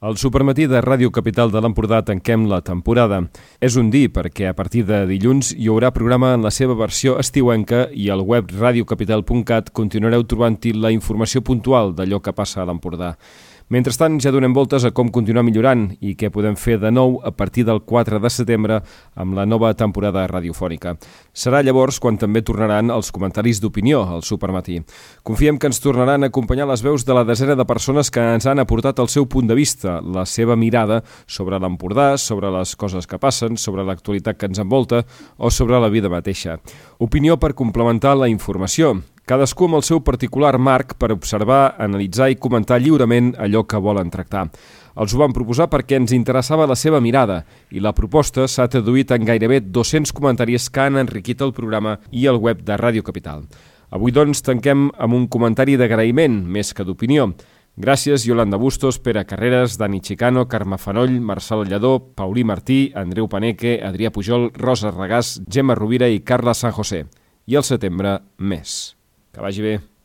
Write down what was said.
Al Supermatí de Ràdio Capital de l'Empordà tanquem la temporada. És un dir perquè a partir de dilluns hi haurà programa en la seva versió estiuenca i al web radiocapital.cat continuareu trobant-hi la informació puntual d'allò que passa a l'Empordà. Mentrestant, ja donem voltes a com continuar millorant i què podem fer de nou a partir del 4 de setembre amb la nova temporada radiofònica. Serà llavors quan també tornaran els comentaris d'opinió al Supermatí. Confiem que ens tornaran a acompanyar les veus de la desena de persones que ens han aportat el seu punt de vista, la seva mirada sobre l'Empordà, sobre les coses que passen, sobre l'actualitat que ens envolta o sobre la vida mateixa. Opinió per complementar la informació. Cadascú amb el seu particular marc per observar, analitzar i comentar lliurement allò que volen tractar. Els ho vam proposar perquè ens interessava la seva mirada i la proposta s'ha traduït en gairebé 200 comentaris que han enriquit el programa i el web de Ràdio Capital. Avui, doncs, tanquem amb un comentari d'agraïment, més que d'opinió. Gràcies Yolanda Bustos, Pere Carreras, Dani Chicano, Carme Fanoll, Marçal Lledó, Paulí Martí, Andreu Paneque, Adrià Pujol, Rosa Regàs, Gemma Rovira i Carla San José. I al setembre, més. Que vagi bé.